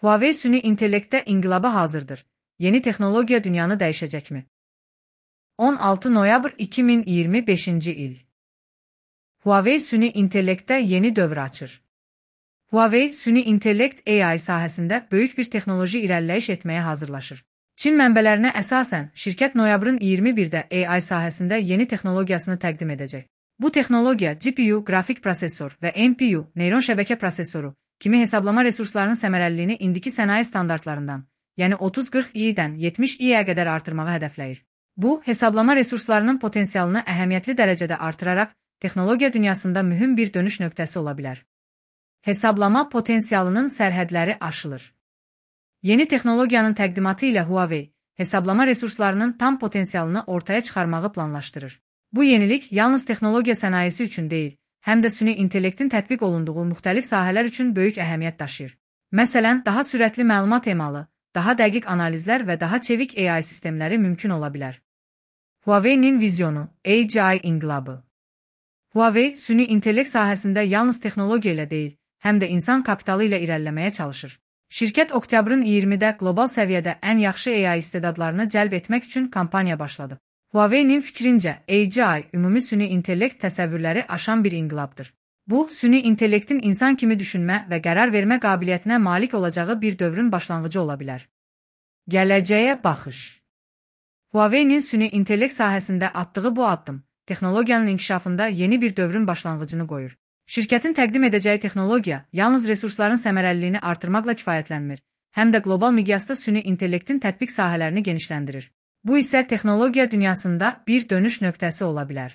Huawei süni intellektdə inqilaba hazırdır. Yeni texnologiya dünyanı dəyişəcəkmi? 16 noyabr 2025-ci il. Huawei süni intellektdə yeni dövr açır. Huawei süni intellekt AI sahəsində böyük bir texnoloji irəliləyiş etməyə hazırlaşır. Çin mənbələrinə əsasən, şirkət noyabrın 21-də AI sahəsində yeni texnologiyasını təqdim edəcək. Bu texnologiya GPU, qrafik prosesor və NPU, neyron şəbəkə prosesoru kimi hesablama resurslarının səmərəliliyini indiki sənaye standartlarından, yəni 30-40i-dən 70i-yə qədər artırmağı hədəfləyir. Bu, hesablama resurslarının potensialını əhəmiyyətli dərəcədə artıraraq, texnologiya dünyasında mühüm bir dönüş nöqtəsi ola bilər. Hesablama potensialının sərhədləri aşılır. Yeni texnologiyanın təqdimatı ilə Huawei, hesablama resurslarının tam potensialını ortaya çıxarmağı planlaşdırır. Bu yenilik yalnız texnologiya sənayesi üçün deyil, həm də süni intellektin tətbiq olunduğu müxtəlif sahələr üçün böyük əhəmiyyət daşıyır. Məsələn, daha sürətli məlumat emalı, daha dəqiq analizlər və daha çevik AI sistemləri mümkün ola bilər. Huawei'nin vizyonu, AGI inqilabı. Huawei, süni intellekt sahəsində yalnız texnologiya ilə deyil, həm də insan kapitalı ilə irəliləməyə çalışır. Şirkət oktyabrın 20-də qlobal səviyyədə ən yaxşı AI istedadlarını cəlb etmək üçün kampaniya başladı. Huawei'nin fikrincə, AGI, ümumi süni intellekt təsəvvürləri aşan bir inqilabdır. Bu, süni intellektin insan kimi düşünmə və qərar vermə qabiliyyətinə malik olacağı bir dövrün başlanğıcı ola bilər. Gələcəyə baxış. Huawei'nin süni intellekt sahəsində atdığı bu addım, texnologiyanın inkişafında yeni bir dövrün başlanğıcını qoyur. Şirkətin təqdim edəcəyi texnologiya yalnız resursların səmərəliliyini artırmaqla kifayətlənmir, həm də qlobal miqyasda süni intellektin tətbiq sahələrini genişləndirir. Bu isə texnologiya dünyasında bir dönüş nöqtəsi ola bilər.